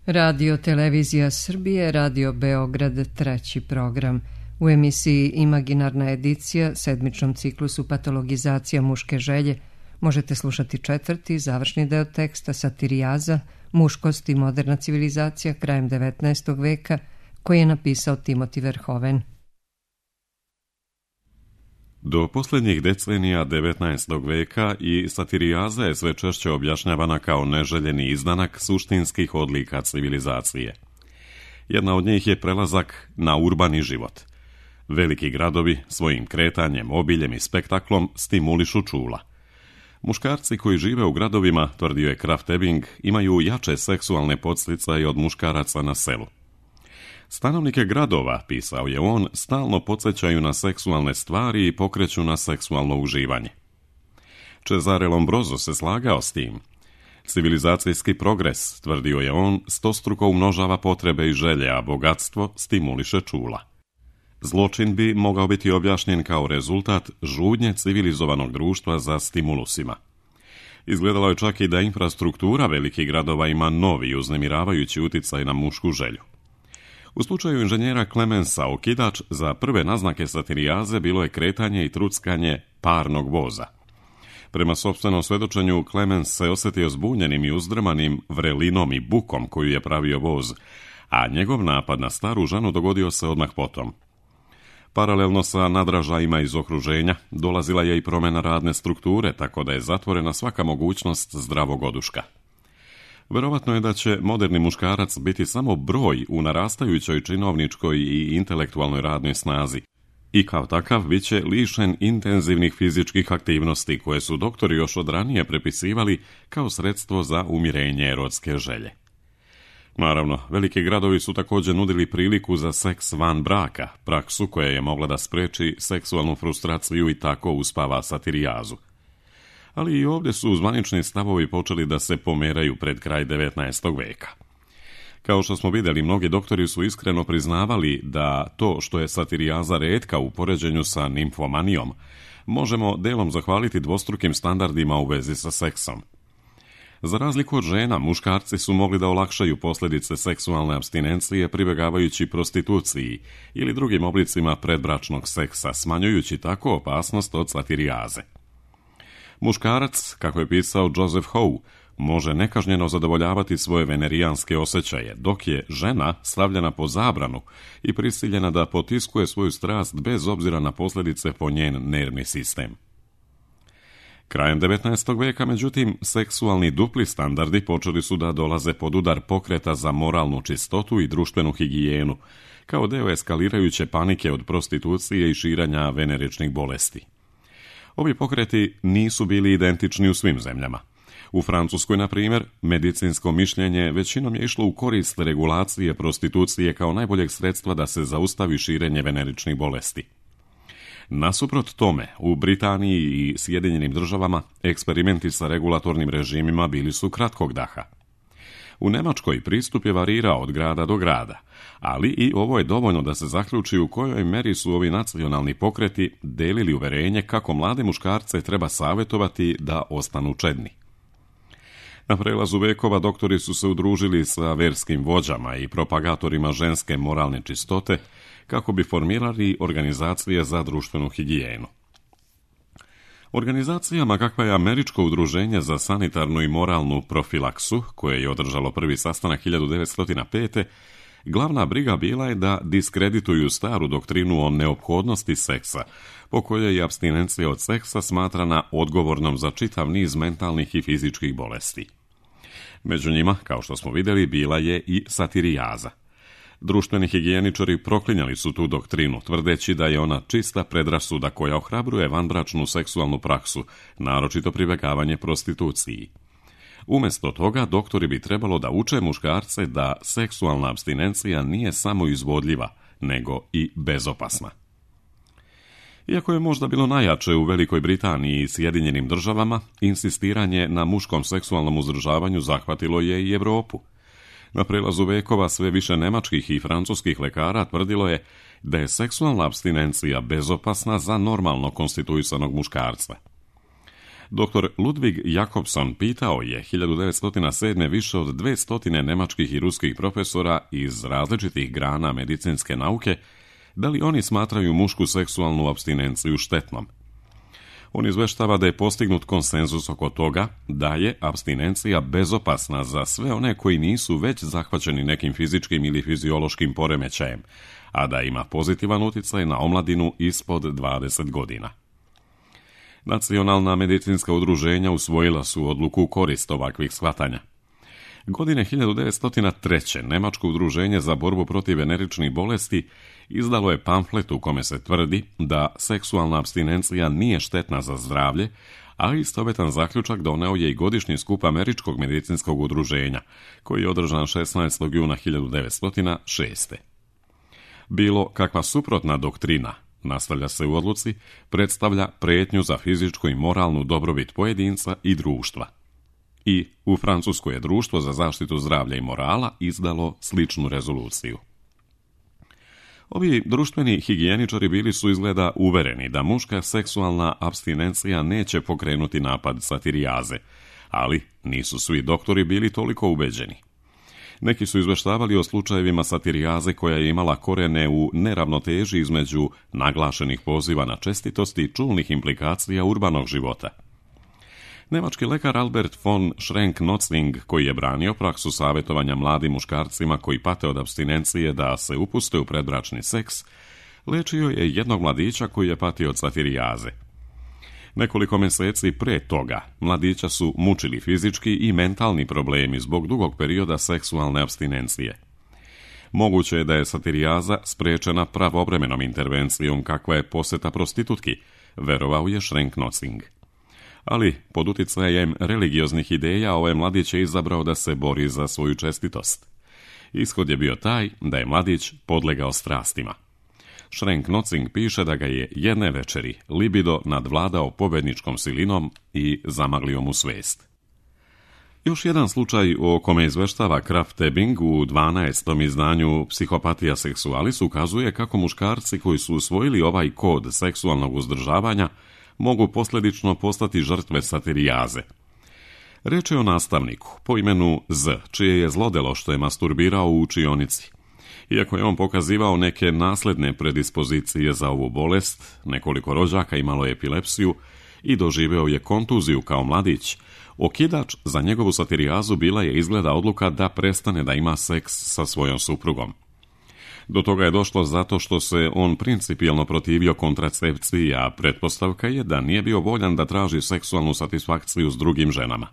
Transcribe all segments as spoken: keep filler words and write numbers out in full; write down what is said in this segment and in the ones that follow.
Radio Televizija Srbije, Radio Beograd, treći program. U emisiji Imaginarna edicija, sedmičnom ciklusu Patologizacija muške želje, možete slušati četvrti, završni deo teksta Satirijaza, muškost i moderna civilizacija krajem devetnaestog veka, koji je napisao Timothy Verhoeven. Do posljednjih decenija devetnaestog veka i satirijaza je sve češće objašnjavana kao neželjeni izdanak suštinskih odlika civilizacije. Jedna od njih je prelazak na urbani život. Veliki gradovi svojim kretanjem, obiljem i spektaklom stimulišu čula. Muškarci koji žive u gradovima, tvrdio je Krafft Ebing, imaju jače seksualne podsticaje od muškaraca na selu. Stanovnike gradova, pisao je on, stalno podsjećaju na seksualne stvari i pokreću na seksualno uživanje. Cesare Lombroso se slagao s tim. Civilizacijski progres, tvrdio je on, stostruko umnožava potrebe i želje, a bogatstvo stimuliše čula. Zločin bi mogao biti objašnjen kao rezultat žudnje civilizovanog društva za stimulusima. Izgledalo je čak i da infrastruktura velikih gradova ima novi uznemiravajući utjecaj na mušku želju. U slučaju inženjera Clemensa okidač za prve naznake satirijaze bilo je kretanje i truckanje parnog voza. Prema sopstvenom svjedočenju, Clemens se osjetio zbunjenim i uzdrmanim vrelinom i bukom koju je pravio voz, a njegov napad na staru ženu dogodio se odmah potom. Paralelno sa nadražajima iz okruženja dolazila je i promjena radne strukture, tako da je zatvorena svaka mogućnost zdravog oduška. Verovatno je da će moderni muškarac biti samo broj u narastajućoj činovničkoj i intelektualnoj radnoj snazi i kao takav bit će lišen intenzivnih fizičkih aktivnosti koje su doktori još od ranije prepisivali kao sredstvo za umirenje erotske želje. Naravno, veliki gradovi su također nudili priliku za seks van braka, praksu koja je mogla da spreči seksualnu frustraciju i tako uspava satirijazu. Ali i ovdje su zvanični stavovi počeli da se pomeraju pred kraj devetnaestog veka. Kao što smo vidjeli, mnogi doktori su iskreno priznavali da to što je satirijaza retka u poređenju sa nimfomanijom, možemo delom zahvaliti dvostrukim standardima u vezi sa seksom. Za razliku od žena, muškarci su mogli da olakšaju posljedice seksualne apstinencije pribjegavajući prostituciji ili drugim oblicima predbračnog seksa, smanjujući tako opasnost od satirijaze. Muškarac, kako je pisao Joseph Howe, može nekažnjeno zadovoljavati svoje venerijanske osjećaje, dok je žena stavljena po zabranu i prisiljena da potiskuje svoju strast bez obzira na posljedice po njen nervni sistem. Krajem devetnaestog veka, međutim, seksualni dupli standardi počeli su da dolaze pod udar pokreta za moralnu čistotu i društvenu higijenu, kao deo eskalirajuće panike od prostitucije i širenja veneričnih bolesti. Ovi pokreti nisu bili identični u svim zemljama. U Francuskoj, na primjer, medicinsko mišljenje većinom je išlo u korist regulacije prostitucije kao najboljeg sredstva da se zaustavi širenje veneričnih bolesti. Nasuprot tome, u Britaniji i Sjedinjenim državama eksperimenti sa regulatornim režimima bili su kratkog daha. U Njemačkoj pristup je varirao od grada do grada, ali i ovo je dovoljno da se zaključi u kojoj meri su ovi nacionalni pokreti delili uverenje kako mlade muškarce treba savjetovati da ostanu čedni. Na prelazu vekova doktori su se udružili sa verskim vođama i propagatorima ženske moralne čistote kako bi formirali organizacije za društvenu higijenu. Organizacijama kakva je Američko udruženje za sanitarnu i moralnu profilaksu, koje je održalo prvi sastanak hiljadu devetsto pete. Glavna briga bila je da diskredituju staru doktrinu o neophodnosti seksa, po kojoj je apstinencija od seksa smatrana odgovornom za čitav niz mentalnih i fizičkih bolesti. Među njima, kao što smo vidjeli, bila je i satirijaza. Društveni higijeničari proklinjali su tu doktrinu, tvrdeći da je ona čista predrasuda koja ohrabruje vanbračnu seksualnu praksu, naročito pribjegavanje prostituciji. Umjesto toga, doktori bi trebalo da uče muškarce da seksualna apstinencija nije samo izvodljiva, nego i bezopasna. Iako je možda bilo najjače u Velikoj Britaniji i Sjedinjenim državama, insistiranje na muškom seksualnom uzdržavanju zahvatilo je i Europu. Na prelazu vekova sve više nemačkih i francuskih lekara tvrdilo je da je seksualna apstinencija bezopasna za normalno konstituisanog muškarca. doktor Ludwig Jakobson pitao je hiljadu devetsto sedme. više od dvjesto nemačkih i ruskih profesora iz različitih grana medicinske nauke da li oni smatraju mušku seksualnu apstinenciju štetnom. On izveštava da je postignut konsenzus oko toga da je apstinencija bezopasna za sve one koji nisu već zahvaćeni nekim fizičkim ili fiziološkim poremećajem, a da ima pozitivan utjecaj na omladinu ispod dvadeset godina. Nacionalna medicinska udruženja usvojila su odluku u korist ovakvih shvatanja. Godine hiljadu devetsto treće. Nemačko udruženje za borbu protiv veneričnih bolesti izdalo je pamflet u kome se tvrdi da seksualna apstinencija nije štetna za zdravlje, a istovjetan zaključak doneo je i godišnji skup Američkog medicinskog udruženja, koji je održan šesnaestog juna hiljadu devetsto šeste. Bilo kakva suprotna doktrina, nastavlja se u odluci, predstavlja prijetnju za fizičku i moralnu dobrobit pojedinca i društva. I u Francuskoj je Društvo za zaštitu zdravlja i morala izdalo sličnu rezoluciju. Ovi društveni higijeničari bili su izgleda uvereni da muška seksualna apstinencija neće pokrenuti napad satirijaze, ali nisu svi doktori bili toliko ubeđeni. Neki su izveštavali o slučajevima satirijaze koja je imala korene u neravnoteži između naglašenih poziva na čestitosti i čulnih implikacija urbanog života. Nemački lekar Albert von Schrenck-Notzing, koji je branio praksu savjetovanja mladim muškarcima koji pate od apstinencije da se upuste u predbračni seks, lečio je jednog mladića koji je patio od satirijaze. Nekoliko mjeseci pre toga mladića su mučili fizički i mentalni problemi zbog dugog perioda seksualne apstinencije. Moguće je da je satirijaza spriječena pravovremenom intervencijom kakva je posjeta prostitutki, verovao je Schrenck-Notzing. Ali pod utjecajem religioznih ideja ovaj mladić je izabrao da se bori za svoju čestitost. Ishod je bio taj da je mladić podlegao strastima. Schrenck-Notzing piše da ga je jedne večeri libido nadvladao pobjedničkom silinom i zamaglio mu svijest. Još jedan slučaj o kome izveštava Kraft-Ebing u dvanaestom izdanju Psihopatija sexualis ukazuje kako muškarci koji su usvojili ovaj kod seksualnog uzdržavanja mogu posljedično postati žrtve satirijaze. Reč je o nastavniku po imenu Z, čije je zlodelo što je masturbirao u učionici. Iako je on pokazivao neke nasledne predispozicije za ovu bolest, nekoliko rođaka imalo je epilepsiju i doživeo je kontuziju kao mladić, okidač za njegovu satirijazu bila je izgleda odluka da prestane da ima seks sa svojom suprugom. Do toga je došlo zato što se on principijelno protivio kontracepciji, a pretpostavka je da nije bio voljan da traži seksualnu satisfakciju s drugim ženama.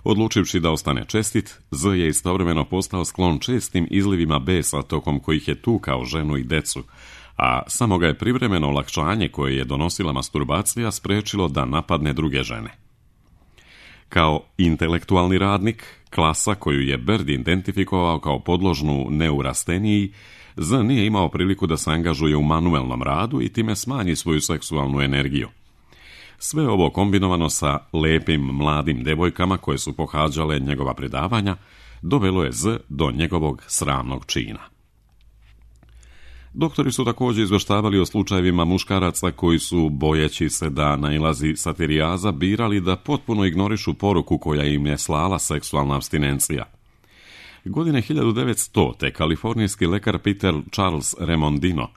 Odlučivši da ostane čestit, Z je istovremeno postao sklon čestim izlivima besa tokom kojih je tukao ženu i decu, a samo ga je privremeno olakšanje koje je donosila masturbacija spriječilo da napadne druge žene. Kao intelektualni radnik, klasa koju je Bird identifikovao kao podložnu neurasteniji, Z nije imao priliku da se angažuje u manuelnom radu i time smanji svoju seksualnu energiju. Sve ovo kombinovano sa lepim mladim devojkama koje su pohađale njegova predavanja, dovelo je Z do njegovog sramnog čina. Doktori su također izveštavali o slučajevima muškaraca koji su, bojeći se da nailazi satirijaza, birali da potpuno ignorišu poruku koja im je slala seksualna apstinencija. Godine hiljadu devetsto. kalifornijski lekar Peter Charles Remondino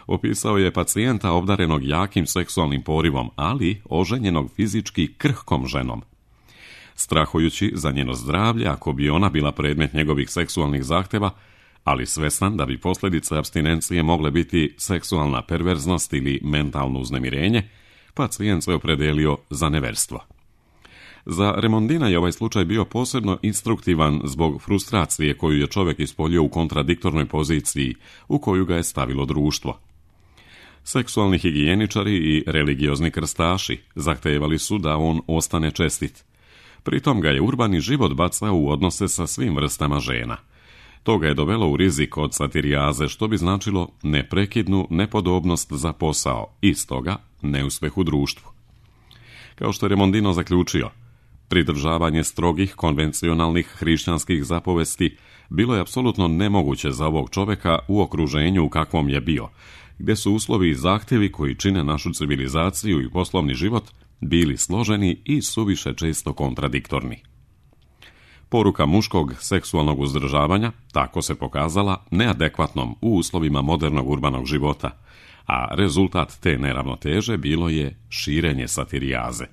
opisao je pacijenta obdarenog jakim seksualnim porivom, ali oženjenog fizički krhkom ženom. Strahujući za njeno zdravlje ako bi ona bila predmet njegovih seksualnih zahtjeva, ali svestan da bi posljedice apstinencije mogle biti seksualna perverznost ili mentalno uznemirenje, pacijent se opredelio za neverstvo. Za Remondina je ovaj slučaj bio posebno instruktivan zbog frustracije koju je čovjek ispoljio u kontradiktornoj poziciji u koju ga je stavilo društvo. Seksualni higijeničari i religiozni krstaši zahtevali su da on ostane čestit. Pritom ga je urbani život bacao u odnose sa svim vrstama žena. To ga je dovelo u rizik od satirijaze, što bi značilo neprekidnu nepodobnost za posao i stoga neuspjeh u društvu. Kao što je Remondino zaključio, pridržavanje strogih konvencionalnih hrišćanskih zapovesti bilo je apsolutno nemoguće za ovog čovjeka u okruženju u kakvom je bio, gdje su uslovi i zahtjevi koji čine našu civilizaciju i poslovni život bili složeni i suviše često kontradiktorni. Poruka muškog seksualnog uzdržavanja tako se pokazala neadekvatnom u uslovima modernog urbanog života, a rezultat te neravnoteže bilo je širenje satirijaze.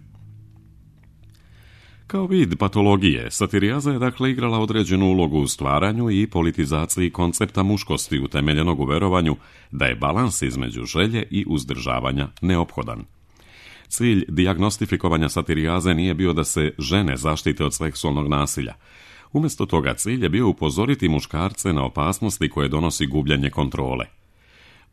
Kao vid patologije, satirijaza je dakle igrala određenu ulogu u stvaranju i politizaciji koncepta muškosti utemeljenog u verovanju da je balans između želje i uzdržavanja neophodan. Cilj dijagnostifikovanja satirijaze nije bio da se žene zaštite od seksualnog nasilja. Umjesto toga cilj je bio upozoriti muškarce na opasnosti koje donosi gubljenje kontrole.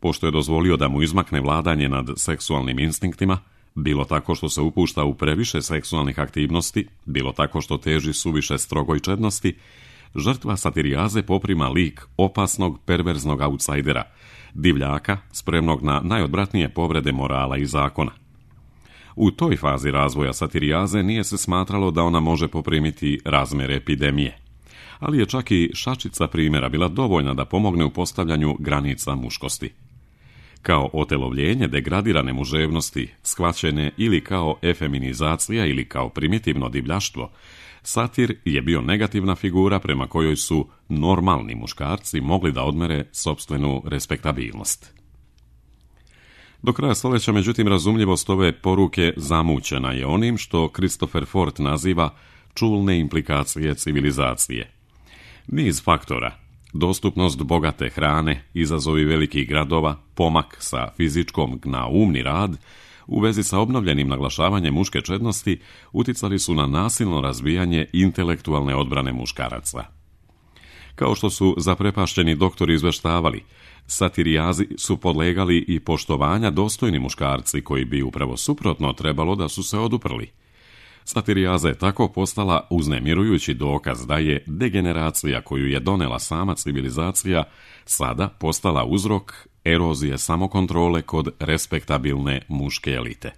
Pošto je dozvolio da mu izmakne vladanje nad seksualnim instinktima, bilo tako što se upušta u previše seksualnih aktivnosti, bilo tako što teži suviše strogoj čednosti, žrtva satirijaze poprima lik opasnog, perverznog autsajdera, divljaka, spremnog na najodvratnije povrede morala i zakona. U toj fazi razvoja satirijaze nije se smatralo da ona može poprimiti razmjere epidemije, ali je čak i šačica primjera bila dovoljna da pomogne u postavljanju granica muškosti. Kao otelovljenje degradirane muževnosti, shvaćene ili kao efeminizacija ili kao primitivno divljaštvo, satir je bio negativna figura prema kojoj su normalni muškarci mogli da odmere sopstvenu respektabilnost. Do kraja stoljeća, međutim, razumljivost ove poruke zamućena je onim što Christopher Ford naziva čulne implikacije civilizacije. Niz faktora, dostupnost bogate hrane, izazovi velikih gradova, pomak sa fizičkom na umni rad, u vezi sa obnovljenim naglašavanjem muške čednosti, uticali su na nasilno razvijanje intelektualne odbrane muškaraca. Kao što su zaprepašćeni doktori izveštavali, satirijazi su podlegali i poštovanja dostojni muškarci koji bi upravo suprotno trebalo da su se oduprli. Satirijaza je tako postala uznemirujući dokaz da je degeneracija koju je donela sama civilizacija sada postala uzrok erozije samokontrole kod respektabilne muške elite.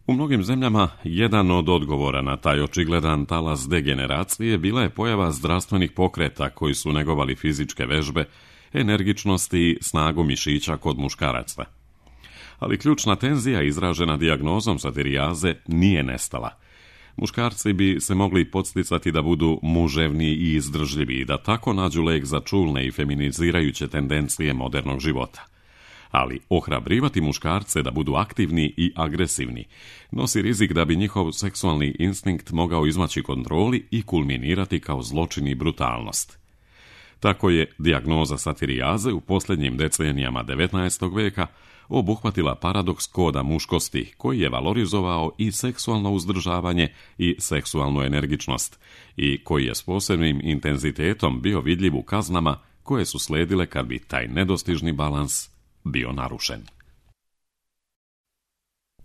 U mnogim zemljama jedan od odgovora na taj očigledan talas degeneracije bila je pojava zdravstvenih pokreta koji su negovali fizičke vežbe, energičnost i snagu mišića kod muškaraca. Ali ključna tenzija izražena dijagnozom satirijaze nije nestala. Muškarci bi se mogli podsticati da budu muževni i izdržljivi i da tako nađu lek za čulne i feminizirajuće tendencije modernog života. Ali ohrabrivati muškarce da budu aktivni i agresivni nosi rizik da bi njihov seksualni instinkt mogao izmaći kontroli i kulminirati kao zločin i brutalnost. Tako je dijagnoza satirijaze u posljednjim decenijama devetnaestog veka obuhvatila paradoks koda muškosti koji je valorizovao i seksualno uzdržavanje i seksualnu energičnost i koji je s posebnim intenzitetom bio vidljiv u kaznama koje su sledile kad bi taj nedostižni balans bio narušen.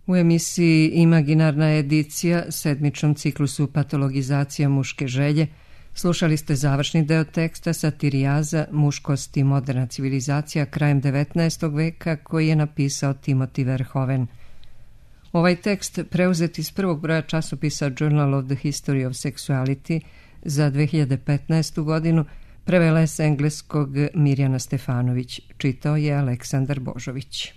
U emisiji Imaginarna edicija, sedmičnom ciklusu Patologizacija muške želje, slušali ste završni deo teksta Satirijaza, muškost i moderna civilizacija krajem devetnaestog veka koji je napisao Timothy Verhoeven. Ovaj tekst, preuzet iz prvog broja časopisa Journal of the History of Sexuality za dve hiljade petnaestu godinu, prevela je s engleskog Mirjana Stefanović, čitao je Aleksandar Božović.